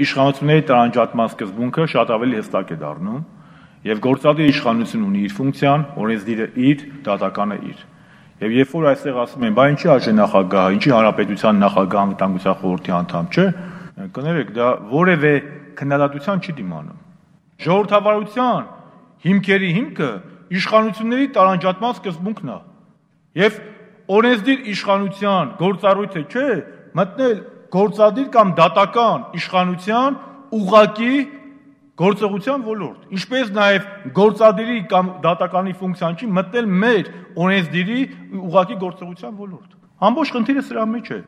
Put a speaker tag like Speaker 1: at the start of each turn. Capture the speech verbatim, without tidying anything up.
Speaker 1: Իշխանությունների տարանջատման սկզբունքը շատ ավելի հստակ է դառնում եւ գործադիր իշխանություն ունի իր ֆունկցիան, օրենսդիրը իր, դատականը իր։ Եվ երբ որ այստեղ ասում են, բա ինչի արժե նախագահը, ինչի հանրապետության նախագահ անվտանգության խորհրդի անդամ չէ, կներեք, դա որևէ քննադատության չի դիմանում։ Ժողովրդավարության հիմքերի հիմքը իշխանությունների տարանջատման սկզբունքն է։ Եվ օրենսդիր իշխանության գործառույթը չէ մտնել գործադիր կամ դատական իշխանության ուղղակի գործողության ոլորտ, ինչպես նաև գործադիրի կամ դատականի ֆունկցիան չի մտնել մեր օրենսդիրի ուղղակի գործողության ոլորտ։ Ամբողջ խնդիրը սրա մեջ է։